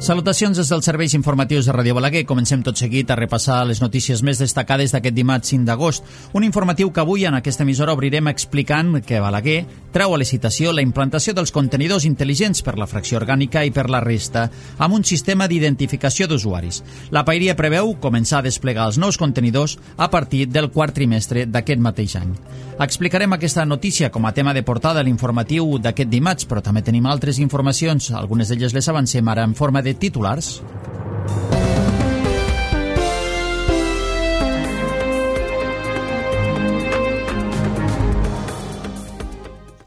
Salutacions des dels serveis informatius de Ràdio Balaguer. Comencem tot seguit a repassar les notícies més destacades d'aquest dimarts 5 d'agost. Un informatiu que avui en aquesta emissora obrirem explicant que Balaguer treu a licitació la implantació dels contenidors intel·ligents per la fracció orgànica i per la resta, amb un sistema d'identificació d'usuaris. La Paeria preveu començar a desplegar els nous contenidors a partir del quart trimestre d'aquest mateix any. Explicarem aquesta notícia com a tema de portada a l'informatiu d'aquest dimarts, però també tenim altres informacions. Algunes d'elles les avancem ara en forma de titulars.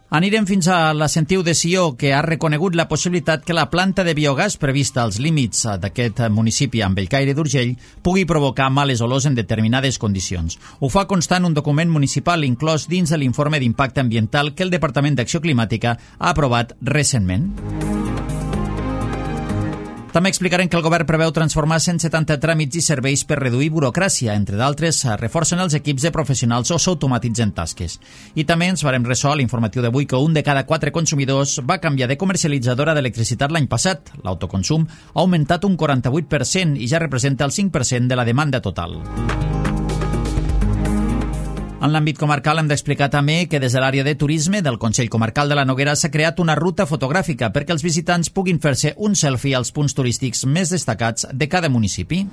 Anirem fins a la Sentiu de Sió, que ha reconegut la possibilitat que la planta de biogàs prevista als límits d'aquest municipi amb Bellcaire d'Urgell pugui provocar males olors en determinades condicions. Ho fa constar en un document municipal inclòs dins de l'informe d'impacte ambiental que el Departament d'Acció Climàtica ha aprovat recentment. També explicarem que el govern preveu transformar 170 tràmits i serveis per reduir burocràcia. Entre d'altres, reforcen els equips de professionals o s'automatitzen tasques. I també ens farem ressò a l'informatiu d'avui que un de cada 4 consumidors va canviar de comercialitzadora d'electricitat l'any passat. L'autoconsum ha augmentat un 48% i ja representa el 5% de la demanda total. En l'àmbit comarcal hem d'explicar també que des de l'àrea de turisme del Consell Comarcal de la Noguera s'ha creat una ruta fotogràfica perquè els visitants puguin fer-se un selfie als punts turístics més destacats de cada municipi.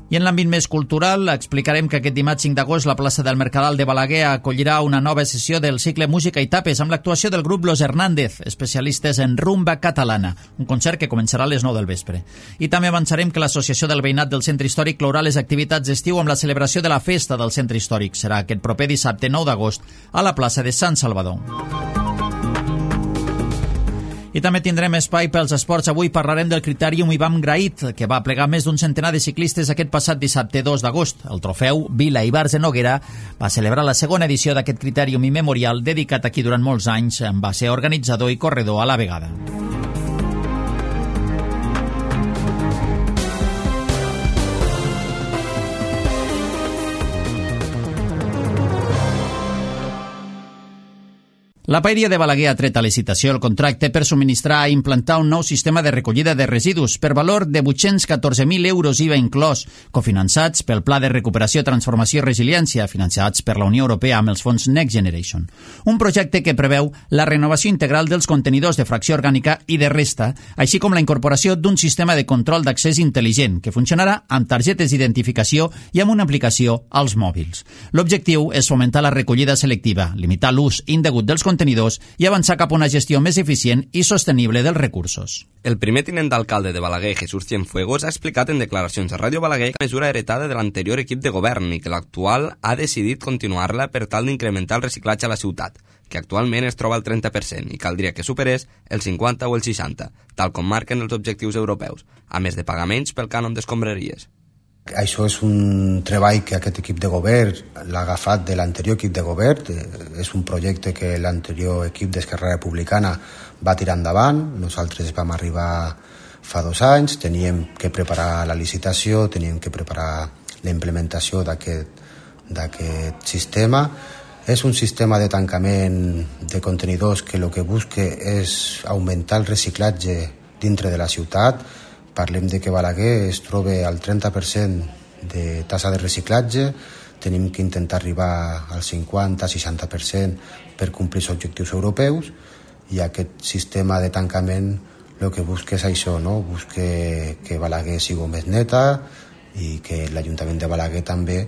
I en l'àmbit més cultural explicarem que aquest dimarts 5 d'agost la plaça del Mercadal de Balaguer acollirà una nova sessió del cicle Música i Tapes amb l'actuació del grup Los Hernández, especialistes en rumba catalana, un concert que començarà a les 9 del vespre. I també avançarem que l'Associació del Veïnat del Centre Històric clourà les activitats d'estiu amb la celebració de la Festa del Centre Històric. Serà aquest proper dissabte 9 d'agost a la plaça de Sant Salvador. I també tindrem espai pels esports. Avui parlarem del Critèrium Ivan Grahit, que va plegar més d'un centenar de ciclistes aquest passat dissabte 2 d'agost. El trofeu Vila Ibars de Noguera va celebrar la segona edició d'aquest Critèrium i Memorial dedicat aquí durant molts anys. Va ser organitzador i corredor a la vegada. La Paeria de Balaguer ha tret a licitació el contracte per subministrar i implantar un nou sistema de recollida de residus per valor de 814.000 euros IVA inclòs, cofinançats pel Pla de Recuperació, Transformació i Resiliència, finançats per la Unió Europea amb els fons Next Generation. Un projecte que preveu la renovació integral dels contenidors de fracció orgànica i de resta, així com la incorporació d'un sistema de control d'accés intel·ligent que funcionarà amb targetes d'identificació i amb una aplicació als mòbils. L'objectiu és fomentar la recollida selectiva, limitar l'ús indegut dels contenidors i avançar cap a una gestió més eficient i sostenible dels recursos. El primer tinent d'alcalde de Balaguer, Jesús Cienfuegos, ha explicat en declaracions a Ràdio Balaguer la mesura heretada de l'anterior equip de govern i que l'actual ha decidit continuar-la per tal d'incrementar el reciclatge a la ciutat, que actualment es troba al 30% i caldria que superés el 50 o el 60, tal com marquen els objectius europeus, a més de pagaments pel cànon d'escombraries. Això és un treball que aquest equip de govern l'ha agafat de l'anterior equip de govern. És un projecte que l'anterior equip d'Esquerra Republicana va tirar endavant. Nosaltres vam arribar fa 2 anys, teníem que preparar la licitació, teníem que preparar la implementació d'aquest sistema. És un sistema de tancament de contenidors que el que busca és augmentar el reciclatge dintre de la ciutat. Parlem de que Balaguer es troba al 30% de tassa de reciclatge, tenim que intentar arribar al 50-60% per complir els objectius europeus i aquest sistema de tancament el que busca és això, no? Busca que Balaguer sigui més neta i que l'Ajuntament de Balaguer també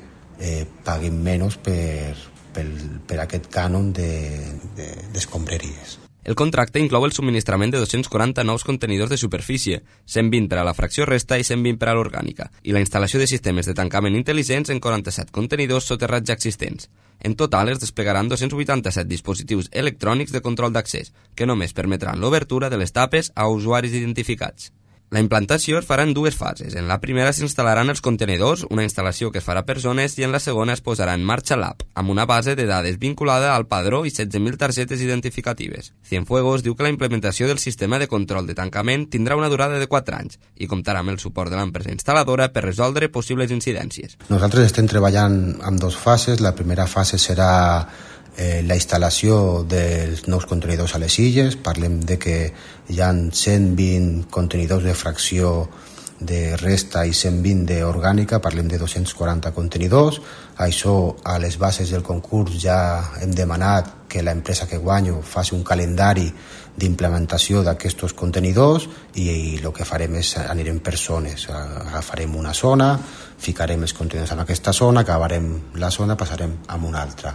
pagui menys per aquest cànon d'escombraries. El contracte inclou el subministrament de 240 nous contenidors de superfície, 120 per a la fracció resta i 120 per a l'orgànica, i la instal·lació de sistemes de tancament intel·ligents en 47 contenidors soterrats ja existents. En total es desplegaran 287 dispositius electrònics de control d'accés, que només permetran l'obertura de les tapes a usuaris identificats. La implantació es farà en 2 fases. En la primera s'instal·laran els contenidors, una instal·lació que es farà per zones, i en la segona es posarà en marxa l'app, amb una base de dades vinculada al padró i 16.000 targetes identificatives. Cienfuegos diu que la implementació del sistema de control de tancament tindrà una durada de 4 anys i comptarà amb el suport de l'empresa instal·ladora per resoldre possibles incidències. Nosaltres estem treballant en 2 fases. La primera fase serà la instal·lació dels nous contenidors a les illes. Parlem de que hi ha 120 contenidors de fracció de resta i 120 d'orgànica, parlem de 240 contenidors. Això, a les bases del concurs ja hem demanat que l'empresa que guanyo faci un calendari d'implementació d'aquests contenidors i el que farem és anirem per zones, agafarem una zona, ficarem els contenidors en aquesta zona, acabarem la zona, passarem a una altra.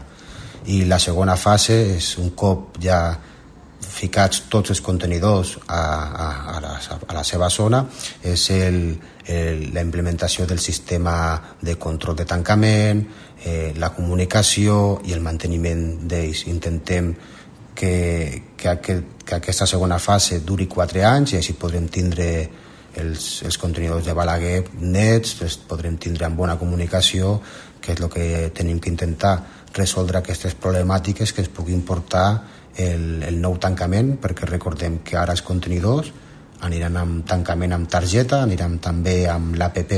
I la segona fase és, un cop ja ficats tots els contenidors a la seva zona, és la implementació del sistema de control de tancament, la comunicació i el manteniment d'ells. Intentem que aquesta segona fase duri 4 anys i així podrem tindre els contenidors de Balaguer nets, els podrem tindre amb bona comunicació, que és el que tenim que intentar, resoldre aquestes problemàtiques que ens puguin portar el nou tancament, perquè recordem que ara els contenidors aniran amb tancament amb targeta, aniran també amb l'APP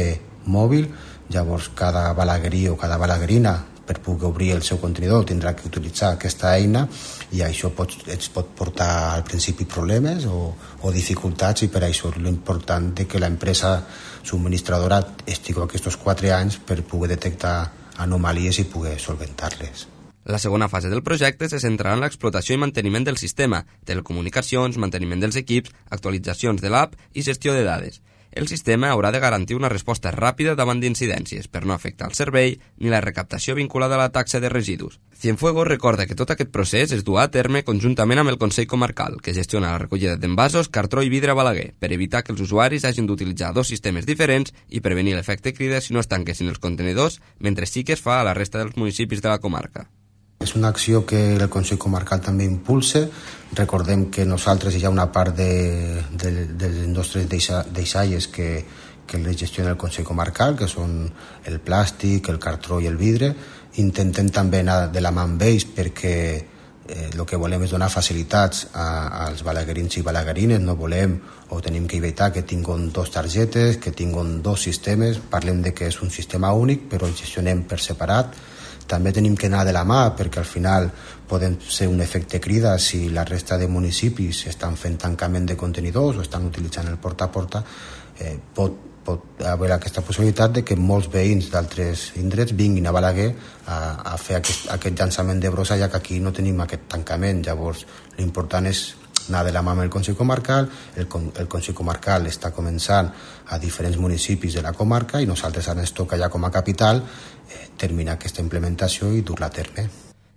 mòbil. Llavors cada balaguerí o cada balaguerina, per poder obrir el seu contenidor, tindrà que utilitzar aquesta eina i això ens pot portar al principi problemes o dificultats, i per això és l'important que l'empresa subministradora estigui aquests 4 anys per poder detectar anomalies i poder solventar-les. La segona fase del projecte se centrarà en l'explotació i manteniment del sistema, telecomunicacions, manteniment dels equips, actualitzacions de l'app i gestió de dades. El sistema haurà de garantir una resposta ràpida davant d'incidències per no afectar el servei ni la recaptació vinculada a la taxa de residus. Cienfuegos recorda que tot aquest procés es duà a terme conjuntament amb el Consell Comarcal, que gestiona la recollida d'envasos, cartró i vidre a Balaguer, per evitar que els usuaris hagin d'utilitzar 2 sistemes diferents i prevenir l'efecte crida si no es tanquessin els contenidors, mentre sí que es fa a la resta dels municipis de la comarca. És una acció que el Consell Comarcal també impulsa. Recordem que nosaltres hi ha una part dels nostres deixalles que les gestiona el Consell Comarcal, que són el plàstic, el cartró i el vidre. Intentem també anar de la mà amb ells perquè el que volem és donar facilitats als balaguerins i balaguerines. No volem o tenim que evitar que tinguin 2 targetes, que tinguin 2 sistemes. Parlem de que és un sistema únic, però el gestionem per separat. També tenim que anar de la mà perquè al final poden ser un efecte crida si la resta de municipis estan fent tancament de contenidors o estan utilitzant el porta a porta. Pot haver aquesta possibilitat de que molts veïns d'altres indrets vinguin a Balaguer a fer aquest llançament de brossa, ja que aquí no tenim aquest tancament. Llavors l'important és anar de la mà amb el Consell Comarcal. El Consell Comarcal està començant a diferents municipis de la comarca i nosaltres ara ens toca ja com a capital terminar aquesta implementació i dur-la a terme.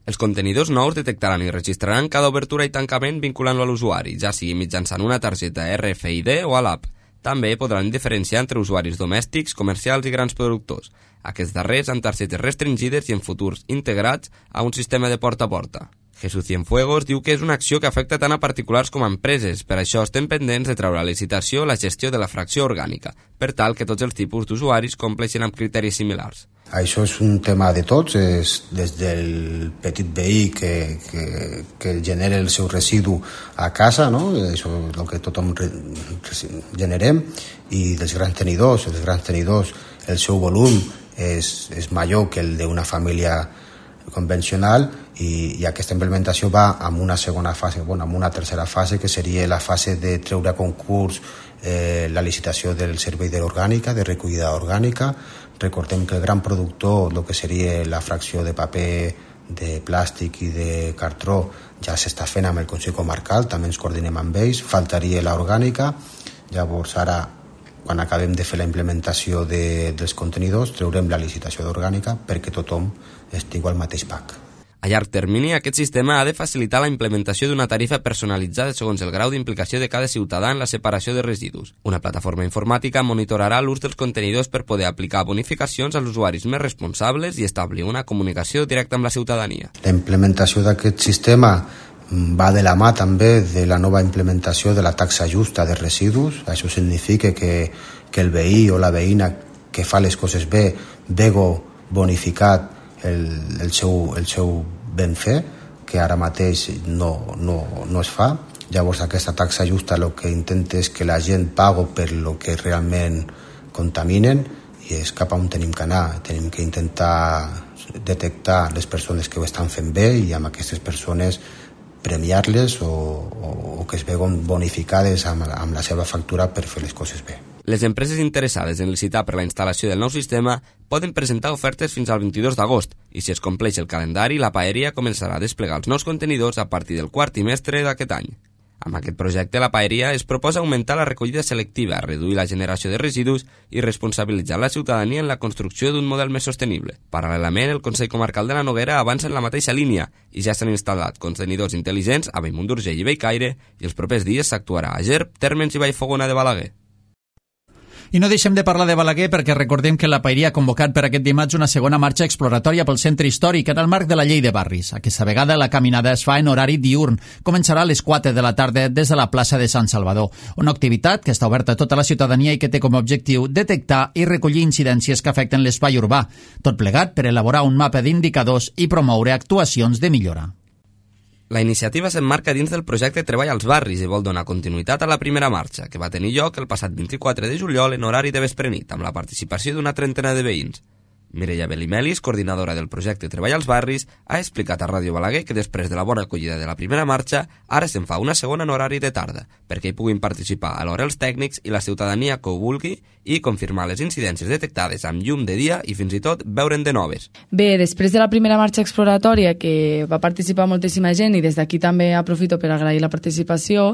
Els contenidors nous detectaran i registraran cada obertura i tancament vinculant-lo a l'usuari, ja sigui mitjançant una targeta RFID o a l'app. També podran diferenciar entre usuaris domèstics, comercials i grans productors. Aquests darrers amb targetes restringides i en futurs integrats a un sistema de porta a porta. Jesús Cienfuegos diu que és una acció que afecta tant a particulars com a empreses, per això estem pendents de treure a licitació la gestió de la fracció orgànica, per tal que tots els tipus d'usuaris compleixin amb criteris similars. Això és un tema de tots, és des del petit veí que genera el seu residu a casa, no? Això és el que tothom generem, i dels grans tenidors. Els grans tenidors, el seu volum és major que el d'una família convencional, i aquesta implementació va amb una segona fase, amb una tercera fase, que seria la fase de treure a concurs la licitació del servei d'orgànica, de recollida orgànica. Recordem que el gran productor, el que seria la fracció de paper, de plàstic i de cartró, ja s'està fent amb el Consell Comarcal, també ens coordinem amb ells, faltaria l'orgànica. Llavors ara, quan acabem de fer la implementació dels contenidors, treurem la licitació d'orgànica perquè tothom estigui al mateix pack. A llarg termini, aquest sistema ha de facilitar la implementació d'una tarifa personalitzada segons el grau d'implicació de cada ciutadà en la separació de residus. Una plataforma informàtica monitorarà l'ús dels contenidors per poder aplicar bonificacions als usuaris més responsables i establir una comunicació directa amb la ciutadania. La implementació d'aquest sistema va de la mà també de la nova implementació de la taxa justa de residus. Això significa que el veí o la veïna que fa les coses bé vego bonificat el seu ben fer, que ara mateix no es fa. Llavors aquesta taxa justa el que intenta és que la gent pagui per lo que realment contaminen i és cap a on tenim que anar. Tenim que intentar detectar les persones que ho estan fent bé i amb aquestes persones premiar-les o que es veuen bonificades amb la seva factura per fer les coses bé. Les empreses interessades en licitar per la instal·lació del nou sistema poden presentar ofertes fins al 22 d'agost i si es compleix el calendari, la Paeria començarà a desplegar els nous contenidors a partir del quart trimestre d'aquest any. Amb aquest projecte, la Paeria es proposa augmentar la recollida selectiva, reduir la generació de residus i responsabilitzar la ciutadania en la construcció d'un model més sostenible. Paral·lelament, el Consell Comarcal de la Noguera avança en la mateixa línia i ja s'han instal·lat contenidors intel·ligents a Bellmunt d'Urgell i Bellcaire i els propers dies s'actuarà a Gerb, Térmens i Vallfogona de Balaguer. I no deixem de parlar de Balaguer perquè recordem que la Paeria ha convocat per aquest dimarts una segona marxa exploratòria pel centre històric en el marc de la llei de barris. Aquesta vegada la caminada es fa en horari diürn. Començarà a les 4 de la tarda des de la plaça de Sant Salvador. Una activitat que està oberta a tota la ciutadania i que té com a objectiu detectar i recollir incidències que afecten l'espai urbà. Tot plegat per elaborar un mapa d'indicadors i promoure actuacions de millora. La iniciativa s'emmarca dins del projecte Treball als Barris i vol donar continuïtat a la primera marxa, que va tenir lloc el passat 24 de juliol en horari de vesprenit, amb la participació d'una trentena de veïns. Mireia Belimelis, coordinadora del projecte Treball als Barris, ha explicat a Ràdio Balaguer que després de la bona acollida de la primera marxa, ara se'n fa una segona en horari de tarda, perquè hi puguin participar alhora els tècnics i la ciutadania que ho vulgui i confirmar les incidències detectades amb llum de dia i fins i tot veure'n de noves. Bé, després de la primera marxa exploratòria, que va participar moltíssima gent i des d'aquí també aprofito per agrair la participació,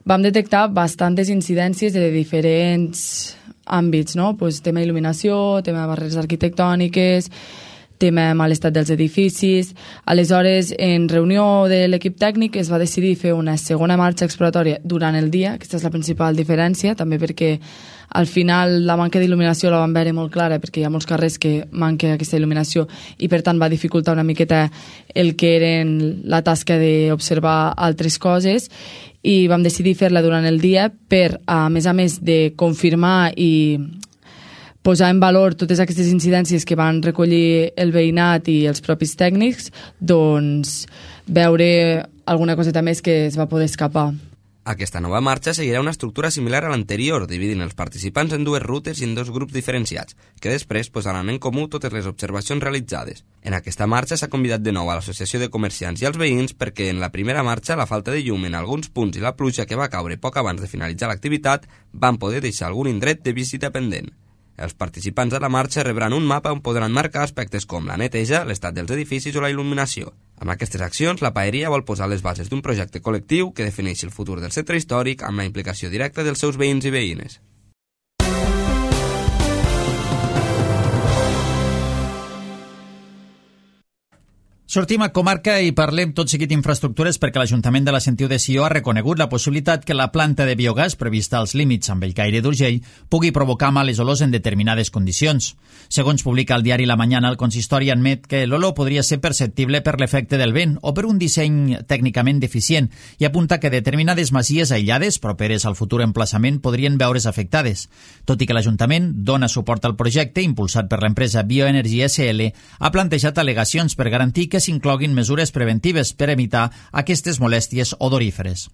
vam detectar bastantes incidències de diferents àmbits, no? Pues, tema il·luminació, tema de barreres arquitectòniques, tema mal estat dels edificis. Aleshores, en reunió de l'equip tècnic es va decidir fer una segona marxa exploratòria durant el dia, aquesta és la principal diferència, també perquè al final la manca d'il·luminació la vam veure molt clara perquè hi ha molts carrers que manca aquesta il·luminació i per tant va dificultar una miqueta el que eren la tasca d'observar altres coses i vam decidir fer-la durant el dia per, a més de confirmar i posar en valor totes aquestes incidències que van recollir el veïnat i els propis tècnics, doncs veure alguna coseta més que es va poder escapar. Aquesta nova marxa seguirà una estructura similar a l'anterior, dividint els participants en dues rutes i en dos grups diferenciats, que després posaran en comú totes les observacions realitzades. En aquesta marxa s'ha convidat de nou a l'Associació de Comerciants i als veïns perquè en la primera marxa la falta de llum en alguns punts i la pluja que va caure poc abans de finalitzar l'activitat van poder deixar algun indret de visita pendent. Els participants de la marxa rebran un mapa on podran marcar aspectes com la neteja, l'estat dels edificis o la il·luminació. Amb aquestes accions, la Paeria vol posar les bases d'un projecte col·lectiu que defineixi el futur del centre històric amb la implicació directa dels seus veïns i veïnes. Sortim a comarca i parlem tot seguit d'infraestructures perquè l'Ajuntament de la Sentiu de Sió ha reconegut la possibilitat que la planta de biogàs prevista als límits amb Bellcaire d'Urgell pugui provocar males olors en determinades condicions. Segons publica el diari La Mañana, el consistori admet que l'olor podria ser perceptible per l'efecte del vent o per un disseny tècnicament deficient i apunta que determinades masies aïllades properes al futur emplaçament podrien veure's afectades. Tot i que l'Ajuntament dona suport al projecte impulsat per l'empresa Bioenergia SL, ha plantejat al·legacions per garantir que s'incloguin mesures preventives per evitar aquestes molèsties odoríferes.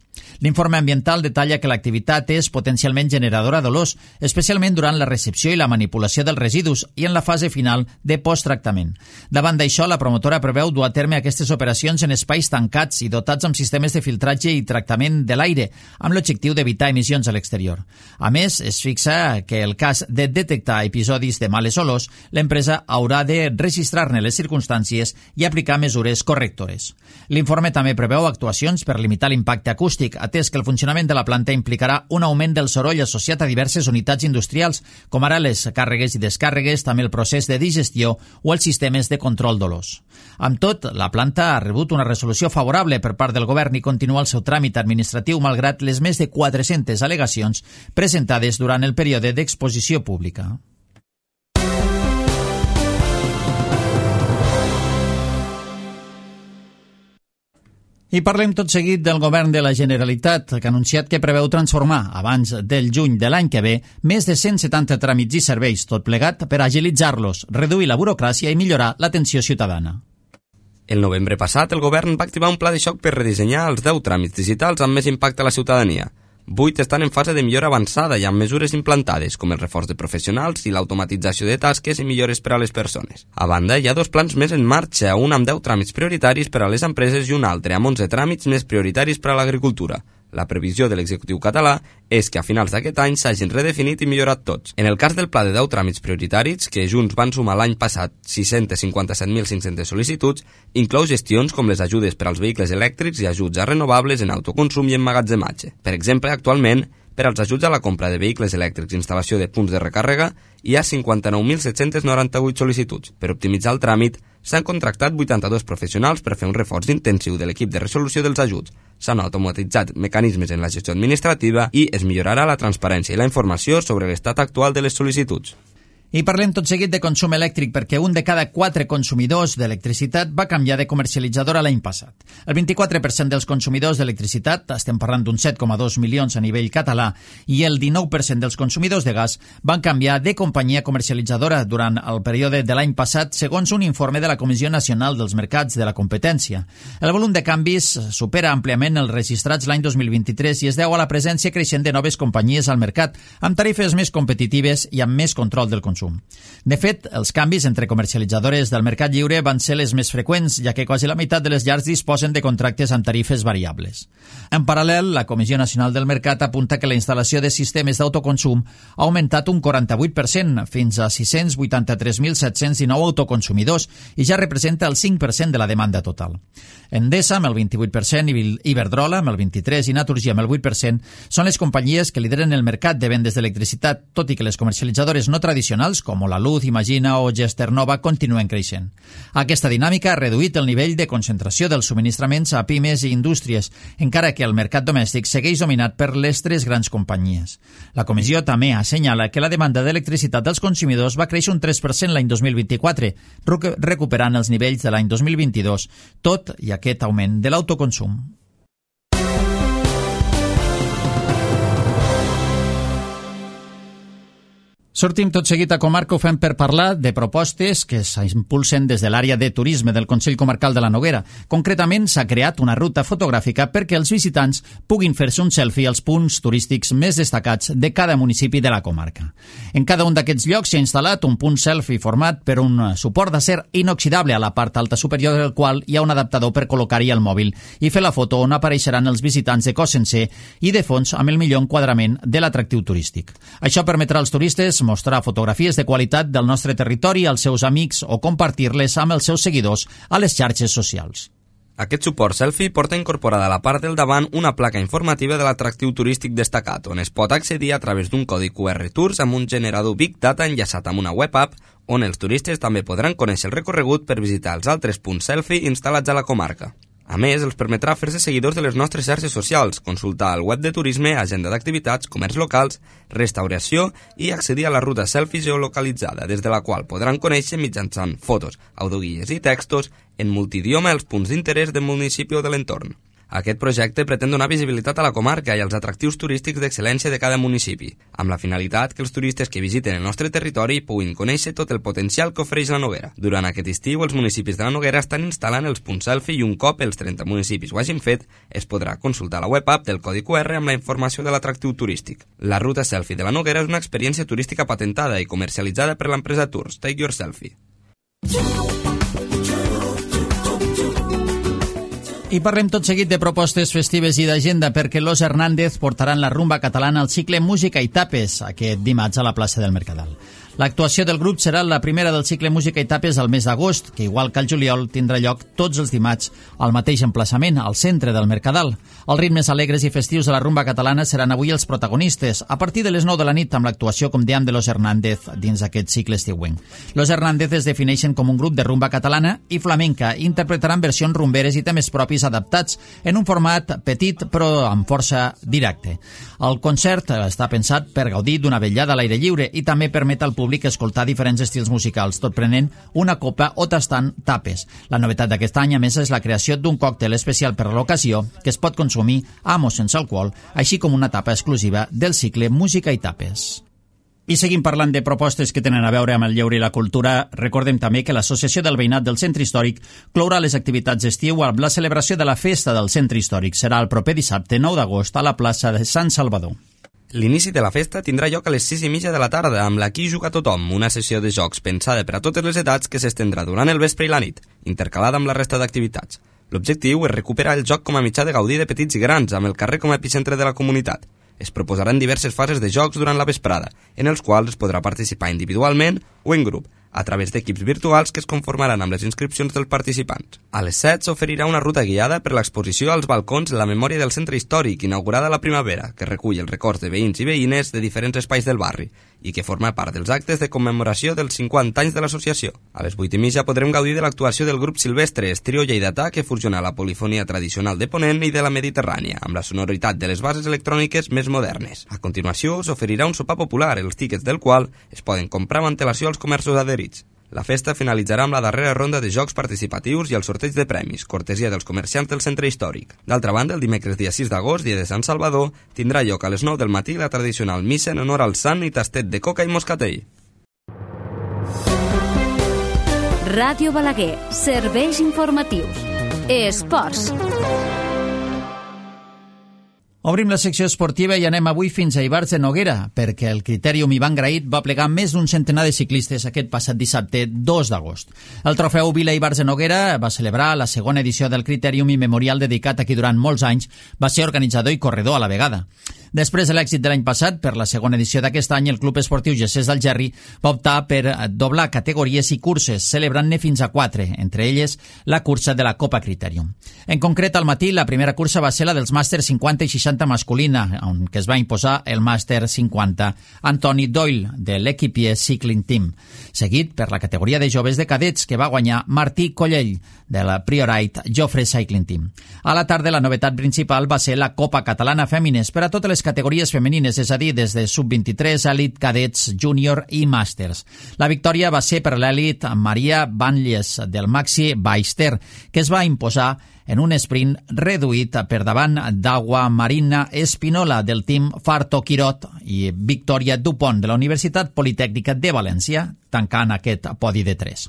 L'informe ambiental detalla que l'activitat és potencialment generadora d'olors, especialment durant la recepció i la manipulació dels residus i en la fase final de posttractament. Davant d'això, la promotora preveu dur a terme aquestes operacions en espais tancats i dotats amb sistemes de filtratge i tractament de l'aire, amb l'objectiu d'evitar emissions a l'exterior. A més, es fixa que el cas de detectar episodis de males olors, l'empresa haurà de registrar-ne les circumstàncies i aplicar mesures correctores. L'informe també preveu actuacions per limitar l'impacte acústic, atès que el funcionament de la planta implicarà un augment del soroll associat a diverses unitats industrials, com ara les càrregues i descàrregues, també el procés de digestió o els sistemes de control d'olors. Amb tot, la planta ha rebut una resolució favorable per part del govern i continua el seu tràmit administratiu malgrat les més de 400 al·legacions presentades durant el període d'exposició pública. I parlem tot seguit del govern de la Generalitat, que ha anunciat que preveu transformar, abans del juny de l'any que ve, més de 170 tràmits i serveis, tot plegat per agilitzar-los, reduir la burocràcia i millorar l'atenció ciutadana. El novembre passat, el govern va activar un pla de xoc per redissenyar els 10 tràmits digitals amb més impacte a la ciutadania. 8 estan en fase de millora avançada i amb mesures implantades, com el reforç de professionals i l'automatització de tasques i millores per a les persones. A banda, hi ha 2 plans més en marxa, un amb 10 tràmits prioritaris per a les empreses i un altre amb 11 tràmits més prioritaris per a l'agricultura. La previsió de l'executiu català és que a finals d'aquest any s'hagin redefinit i millorat tots. En el cas del pla de 10 tràmits prioritaris, que junts van sumar l'any passat 657.500 sol·licituds, inclou gestions com les ajudes per als vehicles elèctrics i ajuts a renovables en autoconsum i emmagatzematge. Per exemple, actualment, per als ajuts a la compra de vehicles elèctrics i instal·lació de punts de recàrrega, hi ha 59.798 sol·licituds. Per optimitzar el tràmit, s'han contractat 82 professionals per fer un reforç intensiu de l'equip de resolució dels ajuts. S'han automatitzat mecanismes en la gestió administrativa i es millorarà la transparència i la informació sobre l'estat actual de les sol·licituds. I parlem tot seguit de consum elèctric perquè un de cada 4 consumidors d'electricitat va canviar de comercialitzadora l'any passat. El 24% dels consumidors d'electricitat, estem parlant d'uns 7,2 milions a nivell català, i el 19% dels consumidors de gas van canviar de companyia comercialitzadora durant el període de l'any passat, segons un informe de la Comissió Nacional dels Mercats de la Competència. El volum de canvis supera àmpliament els registrats l'any 2023 i es deu a la presència creixent de noves companyies al mercat, amb tarifes més competitives i amb més control del consum. De fet, els canvis entre comercialitzadores del mercat lliure van ser les més freqüents, ja que quasi la meitat de les llars disposen de contractes amb tarifes variables. En paral·lel, la Comissió Nacional del Mercat apunta que la instal·lació de sistemes d'autoconsum ha augmentat un 48%, fins a 683.719 autoconsumidors, i ja representa el 5% de la demanda total. Endesa, amb el 28%, Iberdrola, amb el 23%, i Naturgy, amb el 8%, són les companyies que lideren el mercat de vendes d'electricitat, tot i que les comercialitzadores no tradicionals, com La Luz, Imagina o Gesternova, continuen creixent. Aquesta dinàmica ha reduït el nivell de concentració dels subministraments a pimes i indústries, encara que el mercat domèstic segueix dominat per les 3 grans companyies. La comissió també assenyala que la demanda d'electricitat dels consumidors va créixer un 3% l'any 2024, recuperant els nivells de l'any 2022, tot i aquest augment de l'autoconsum. Sortim tot seguit a Comarca, ho fem per parlar de propostes que s'impulsen des de l'àrea de turisme del Consell Comarcal de la Noguera. Concretament, s'ha creat una ruta fotogràfica perquè els visitants puguin fer-se un selfie als punts turístics més destacats de cada municipi de la comarca. En cada un d'aquests llocs s'ha instal·lat un punt selfie format per un suport d'acer inoxidable a la part alta superior del qual hi ha un adaptador per col·locar-hi el mòbil i fer la foto on apareixeran els visitants de cos sencer i de fons amb el millor enquadrament de l'atractiu turístic. Això permetrà als turistes mostrar fotografies de qualitat del nostre territori als seus amics o compartir-les amb els seus seguidors a les xarxes socials. Aquest suport selfie porta incorporada a la part del davant una placa informativa de l'atractiu turístic destacat, on es pot accedir a través d'un codi QR Tours amb un generador Big Data enllaçat amb una web app, on els turistes també podran conèixer el recorregut per visitar els altres punts selfie instal·lats a la comarca. A més, els permetrà fer-se seguidors de les nostres xarxes socials, consultar el web de turisme, agenda d'activitats, comerç locals, restauració i accedir a la ruta selfie geolocalitzada, des de la qual podran conèixer mitjançant fotos, audioguies i textos en multidioma els punts d'interès del municipi o de l'entorn. Aquest projecte pretén donar visibilitat a la comarca i als atractius turístics d'excel·lència de cada municipi, amb la finalitat que els turistes que visiten el nostre territori puguin conèixer tot el potencial que ofereix la Noguera. Durant aquest estiu, els municipis de la Noguera estan instal·lant els punts selfie i un cop els 30 municipis ho hagin fet, es podrà consultar la web app del codi QR amb la informació de l'atractiu turístic. La ruta selfie de la Noguera és una experiència turística patentada i comercialitzada per l'empresa Tours Take Your Selfie. I parlem tot seguit de propostes festives i d'agenda perquè Los Hernández portaran la rumba catalana al cicle Música i Tapes aquest dimarts a la plaça del Mercadal. L'actuació del grup serà la primera del cicle Música i Tapes al mes d'agost, que igual que al juliol tindrà lloc tots els dimarts al mateix emplaçament, al centre del Mercadal. Els ritmes alegres i festius de la rumba catalana seran avui els protagonistes, a partir de les 9 de la nit amb l'actuació, com dèiem, de Los Hernández dins aquest cicle estiuenc. Los Hernández es defineixen com un grup de rumba catalana i flamenca, interpretaran versions rumberes i temes propis adaptats en un format petit però amb força directe. El concert està pensat per gaudir d'una vetllada a l'aire lliure i també permet al públic escoltar diferents estils musicals, tot prenent una copa o tastant tapes. La novetat d'aquest any, a més, és la creació d'un còctel especial per a l'ocasió que es pot consumir amb o sense alcohol, així com una tapa exclusiva del cicle Música i Tapes. I seguim parlant de propostes que tenen a veure amb el lleure i la cultura. Recordem també que l'Associació del Veïnat del Centre Històric clourà les activitats d'estiu amb la celebració de la Festa del Centre Històric. Serà el proper dissabte 9 d'agost a la plaça de Sant Salvador. L'inici de la festa tindrà lloc a les 6:30 de la tarda amb l'Aquí Juga Tothom, una sessió de jocs pensada per a totes les edats que s'estendrà durant el vespre i la nit, intercalada amb la resta d'activitats. L'objectiu és recuperar el joc com a mitjà de gaudir de petits i grans, amb el carrer com a epicentre de la comunitat. Es proposaran diverses fases de jocs durant la vesprada, en els quals es podrà participar individualment o en grup, a través d'equips virtuals que es conformaran amb les inscripcions dels participants. A les 7 s'oferirà una ruta guiada per l'exposició als balcons La memòria del centre històric, inaugurada a la primavera, que recull els records de veïns i veïnes de diferents espais del barri i que forma part dels actes de commemoració dels 50 anys de l'associació. A les 8:30 podrem gaudir de l'actuació del grup Silvestre, trio lleidatà que fusiona la polifonia tradicional de Ponent i de la Mediterrània, amb la sonoritat de les bases electròniques més modernes. A continuació s'oferirà un sopar popular, els tíquets del qual es poden comprar amb antelació als comerços adherits. La festa finalitzarà amb la darrera ronda de jocs participatius i el sorteig de premis, cortesia dels comerciants del centre històric. D'altra banda, el dimecres dia 6 d'agost, dia de Sant Salvador, tindrà lloc a les 9 del matí la tradicional missa en honor al sant i tastet de coca i moscatell. Ràdio Balaguer, serveis informatius. Esports. Obrim la secció esportiva i anem avui fins a Ivars de Noguera, perquè el Critèrium Ivan Graït va plegar més d'un centenar de ciclistes aquest passat dissabte 2 d'agost. El trofeu Vila Ivars de Noguera va celebrar la segona edició del Critèrium i memorial dedicat a qui durant molts anys va ser organitzador i corredor a la vegada. Després de l'èxit de l'any passat, per la segona edició d'aquest any, el Club Esportiu Gessés d'Algerri va optar per doblar categories i curses, celebrant-ne fins a 4, entre elles la cursa de la Copa Critèrium. En concret, al matí, la primera cursa va ser la dels màsters 50 i 60 masculina, on que es va imposar el màster 50 Antoni Doyle, de l'Equipier Cycling Team, seguit per la categoria de joves de cadets, que va guanyar Martí Collell, de la Priorite Jofre Cycling Team. A la tarda, la novetat principal va ser la Copa Catalana Fèmines per a totes les categories femenines, és a dir, des de sub-23, elit, cadets, júnior i màsters. La victòria va ser per l'elit Maria Banlles, del Maxi Baister, que es va imposar en un sprint reduït per davant d'Agua Marina Espinola del team Farto Quirot i Victòria Dupont de la Universitat Politècnica de València, tancant aquest podi de 3.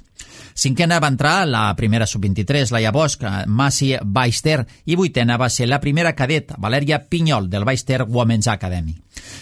Cinquena va entrar la primera sub-23, Laia Bosch, Massi Baister, i vuitena va ser la primera cadet, Valèria Pinyol, del Baister Women's Academy.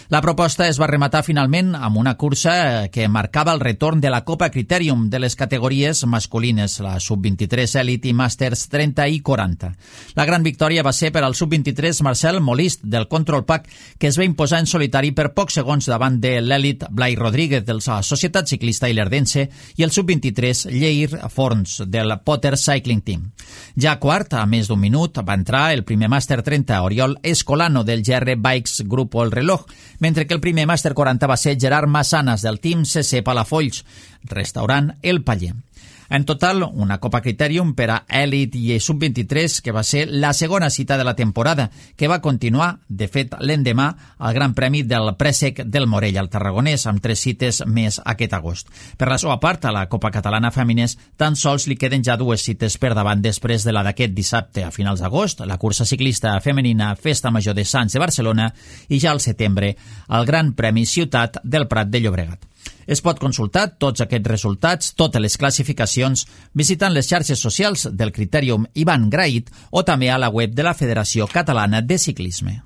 La proposta es va rematar finalment amb una cursa que marcava el retorn de la Copa Critèrium de les categories masculines, la sub-23 Elite i Màsters 30 i 40. La gran victòria va ser per al sub-23 Marcel Molist, del Control Pack, que es va imposar en solitari per pocs segons davant de l'Elite Blai Rodríguez, de la Societat Ciclista Ilerdense, i el sub-23 Lleir Forns, del Potter Cycling Team. Ja quart, a més d'un minut, va entrar el primer Màster 30 Oriol Escolano, del GR Bikes Grupo El Reloj, mentre que el primer Màster 40 va ser Gerard Massanas, del Team CC Palafolls, restaurant El Paller. En total, una Copa Critèrium per a Elit i Sub-23, que va ser la segona cita de la temporada, que va continuar, de fet, l'endemà, al Gran Premi del Préssec del Morell, al Tarragonès, amb 3 cites més aquest agost. Per la seva part, a la Copa Catalana Fèmines, tan sols li queden ja 2 cites per davant després de la d'aquest dissabte a finals d'agost, la cursa ciclista femenina Festa Major de Sants de Barcelona, i ja al setembre, el Gran Premi Ciutat del Prat de Llobregat. Es pot consultar tots aquests resultats, totes les classificacions, visitant les xarxes socials del Critèrium Ivan Graït o també a la web de la Federació Catalana de Ciclisme.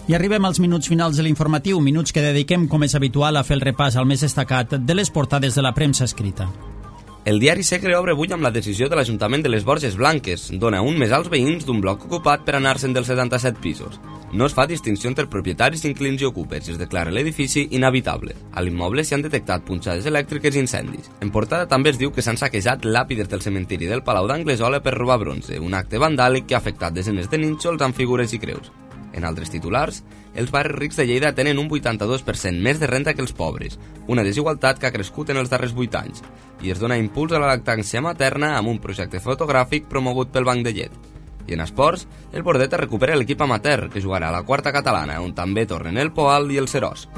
I arribem als minuts finals de l'informatiu, minuts que dediquem, com és habitual, a fer el repàs al més destacat de les portades de la premsa escrita. El diari Segre obre avui amb la decisió de l'Ajuntament de les Borges Blanques. Dona un mes als veïns d'un bloc ocupat per anar-se'n dels 77 pisos. No es fa distinció entre propietaris, inquilins i ocupes i es declara l'edifici inhabitable. A l'immoble s'hi han detectat punxades elèctriques i incendis. En portada també es diu que s'han saquejat làpides del cementiri del Palau d'Anglesola per robar bronze, un acte vandàlic que ha afectat desenes de nínxols amb figures i creus. En altres titulars, els barris rics de Lleida tenen un 82% més de renta que els pobres, una desigualtat que ha crescut en els darrers 8 anys, i es dona impuls a la lactància materna amb un projecte fotogràfic promogut pel Banc de Llet. I en esports, el Bordeta recupera l'equip amateur, que jugarà a la quarta catalana, on també tornen el Poal i el Serós.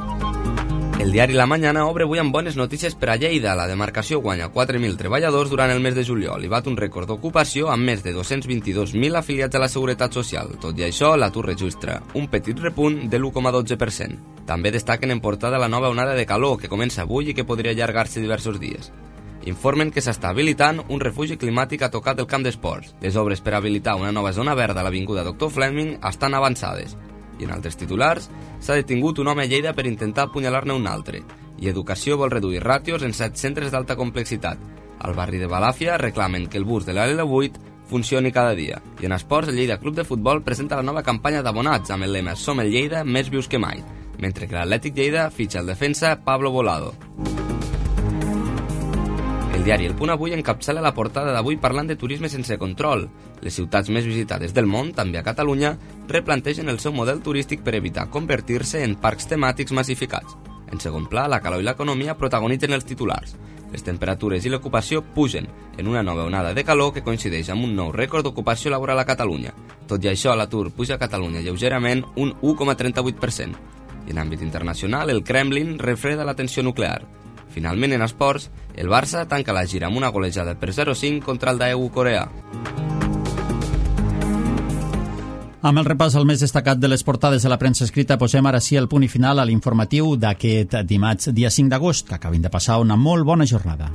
El diari La Mañana obre avui amb bones notícies per a Lleida. La demarcació guanya 4.000 treballadors durant el mes de juliol i bat un rècord d'ocupació amb més de 222.000 afiliats a la Seguretat Social. Tot i això, l'atur registra un petit repunt de l'1,12%. També destaquen en portada la nova onada de calor que comença avui i que podria allargar-se diversos dies. Informen que s'està habilitant un refugi climàtic a tocar del camp d'esports. Les obres per habilitar una nova zona verda a l'avinguda Dr. Fleming estan avançades. I en altres titulars, s'ha detingut un home a Lleida per intentar apunyalar-ne un altre. I Educació vol reduir ràtios en 7 centres d'alta complexitat. Al barri de Balàfia reclamen que el bus de l'L8 funcioni cada dia. I en esports, el Lleida Club de Futbol presenta la nova campanya d'abonats amb el lema Som el Lleida, més vius que mai, mentre que l'Atlètic Lleida fitxa el defensa Pablo Volado. El diari El Punt avui encapçala la portada d'avui parlant de turisme sense control. Les ciutats més visitades del món, també a Catalunya, replantegen el seu model turístic per evitar convertir-se en parcs temàtics massificats. En segon pla, la calor i l'economia protagonitzen els titulars. Les temperatures i l'ocupació pugen en una nova onada de calor que coincideix amb un nou rècord d'ocupació laboral a Catalunya. Tot i això, l'atur puja a Catalunya lleugerament un 1,38%. I en àmbit internacional, el Kremlin refreda la tensió nuclear. Finalment, en esports, el Barça tanca la gira amb una golejada per 0-5 contra el Daewoo Coreà. Amb el repàs al més destacat de les portades de la premsa escrita, posem ara sí el punt i final a l'informatiu d'aquest dimarts, dia 5 d'agost, que acabin de passar una molt bona jornada.